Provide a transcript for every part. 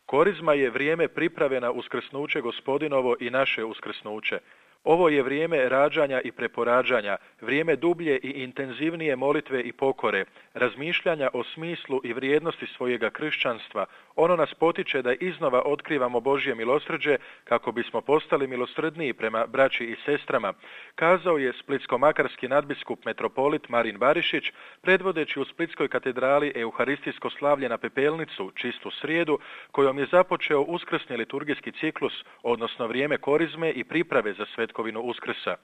Korizma je vrijeme priprave na uskrsnuće Gospodinovo i naše uskrsnuće. Ovo je vrijeme rađanja i preporađanja, vrijeme dublje i intenzivnije molitve i pokore, razmišljanja o smislu i vrijednosti svojega kršćanstva. Ono nas potiče da iznova otkrivamo Božje milosrđe kako bismo postali milosrdniji prema braći i sestrama, kazao je splitsko-makarski nadbiskup metropolit Marin Barišić, predvodeći u Splitskoj katedrali euharistijsko slavlje na Pepelnicu, čistu srijedu, kojom je započeo uskrsni liturgijski ciklus, odnosno vrijeme korizme i priprave za svetkovinu Uskrsa.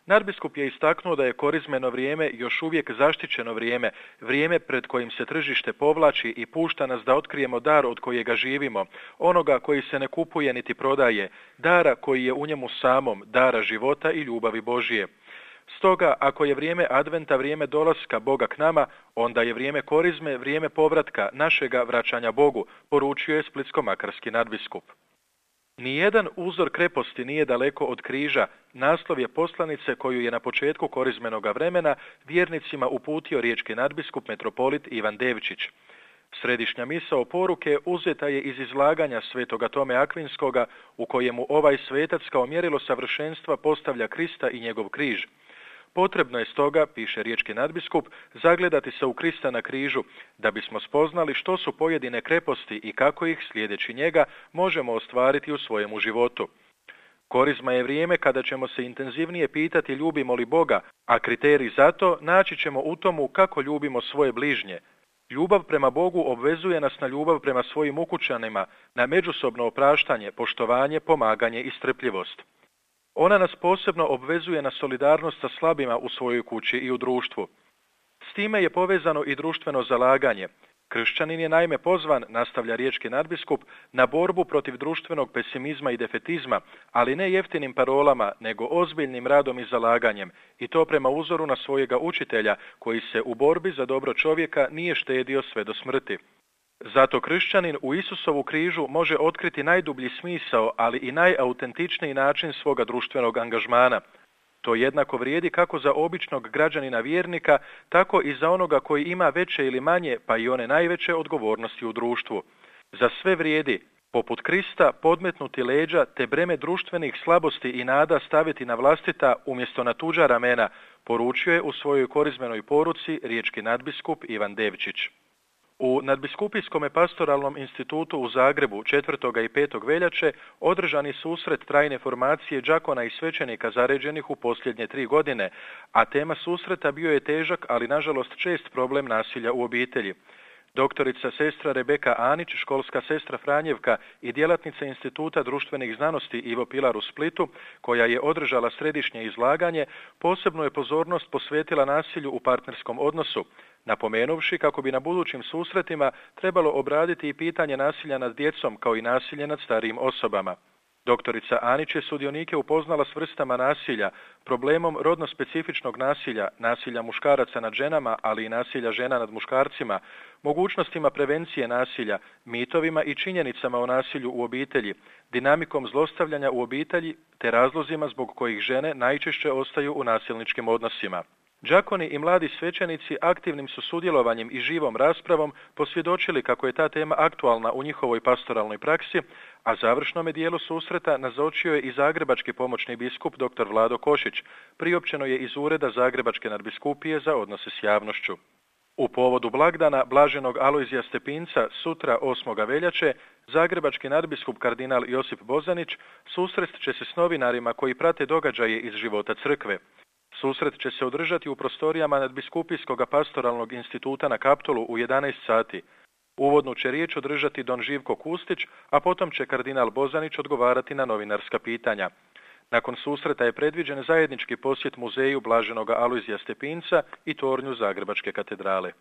Nadbiskup je istaknuo da je korizmeno vrijeme još uvijek zaštićeno vrijeme, vrijeme pred kojim se tržište povlači i pušta nas da otkrijemo dar od kojega živimo, onoga koji se ne kupuje niti prodaje, dara koji je u njemu samom, dara života i ljubavi Božije. Stoga, ako je vrijeme adventa vrijeme dolaska Boga k nama, onda je vrijeme korizme vrijeme povratka, našega vraćanja Bogu, poručio je splitsko-makarski nadbiskup. Nijedan uzor kreposti nije daleko od križa, naslov je poslanice koju je na početku korizmenoga vremena vjernicima uputio riječki nadbiskup metropolit Ivan Devčić. Središnja misao poruke uzeta je iz izlaganja svetoga Tome Akvinskoga, u kojemu ovaj svetac kao mjerilo savršenstva postavlja Krista i njegov križ. Potrebno je stoga, piše riječki nadbiskup, zagledati se u Krista na križu, da bismo spoznali što su pojedine kreposti i kako ih, slijedeći njega, možemo ostvariti u svojemu životu. Korizma je vrijeme kada ćemo se intenzivnije pitati ljubimo li Boga, a kriterij za to naći ćemo u tomu kako ljubimo svoje bližnje. Ljubav prema Bogu obvezuje nas na ljubav prema svojim ukućanima, na međusobno opraštanje, poštovanje, pomaganje i strpljivost. Ona nas posebno obvezuje na solidarnost sa slabima u svojoj kući i u društvu. S time je povezano i društveno zalaganje. Kršćanin je naime pozvan, nastavlja riječki nadbiskup, na borbu protiv društvenog pesimizma i defetizma, ali ne jeftinim parolama, nego ozbiljnim radom i zalaganjem, i to prema uzoru na svojega učitelja, koji se u borbi za dobro čovjeka nije štedio sve do smrti. Zato kršćanin u Isusovu križu može otkriti najdublji smisao, ali i najautentičniji način svoga društvenog angažmana. To jednako vrijedi kako za običnog građanina vjernika, tako i za onoga koji ima veće ili manje, pa i one najveće odgovornosti u društvu. Za sve vrijedi, poput Krista, podmetnuti leđa te breme društvenih slabosti i nada staviti na vlastita umjesto na tuđa ramena, poručio je u svojoj korizmenoj poruci riječki nadbiskup Ivan Devčić. U Nadbiskupijskom pastoralnom institutu u Zagrebu 4. i 5. veljače održani susret trajne formacije đakona i svećenika zaređenih u posljednje 3 godine, a tema susreta bio je težak, ali nažalost čest problem nasilja u obitelji. Doktorica sestra Rebeka Anić, školska sestra Franjevka i djelatnica Instituta društvenih znanosti Ivo Pilar u Splitu, koja je održala središnje izlaganje, posebnu je pozornost posvetila nasilju u partnerskom odnosu, napomenuvši kako bi na budućim susretima trebalo obraditi i pitanje nasilja nad djecom kao i nasilje nad starijim osobama. Doktorica Anić je sudionike upoznala s vrstama nasilja, problemom rodno specifičnog nasilja, nasilja muškaraca nad ženama, ali i nasilja žena nad muškarcima, mogućnostima prevencije nasilja, mitovima i činjenicama o nasilju u obitelji, dinamikom zlostavljanja u obitelji te razlozima zbog kojih žene najčešće ostaju u nasilničkim odnosima. Đakoni i mladi svećenici aktivnim su sudjelovanjem i živom raspravom posvjedočili kako je ta tema aktualna u njihovoj pastoralnoj praksi, a završnome dijelu susreta nazočio je i zagrebački pomoćni biskup dr. Vlado Košić, priopćeno je iz ureda Zagrebačke nadbiskupije za odnose s javnošću. U povodu blagdana blaženog Alojzija Stepinca sutra 8. veljače zagrebački nadbiskup kardinal Josip Bozanić susrest će se s novinarima koji prate događaje iz života crkve. Susret će se održati u prostorijama Nadbiskupijskog pastoralnog instituta na Kaptolu u 11 sati. Uvodnu će riječ održati don Živko Kustić, a potom će kardinal Bozanić odgovarati na novinarska pitanja. Nakon susreta je predviđen zajednički posjet muzeju blaženoga Alojzija Stepinca i tornju Zagrebačke katedrale.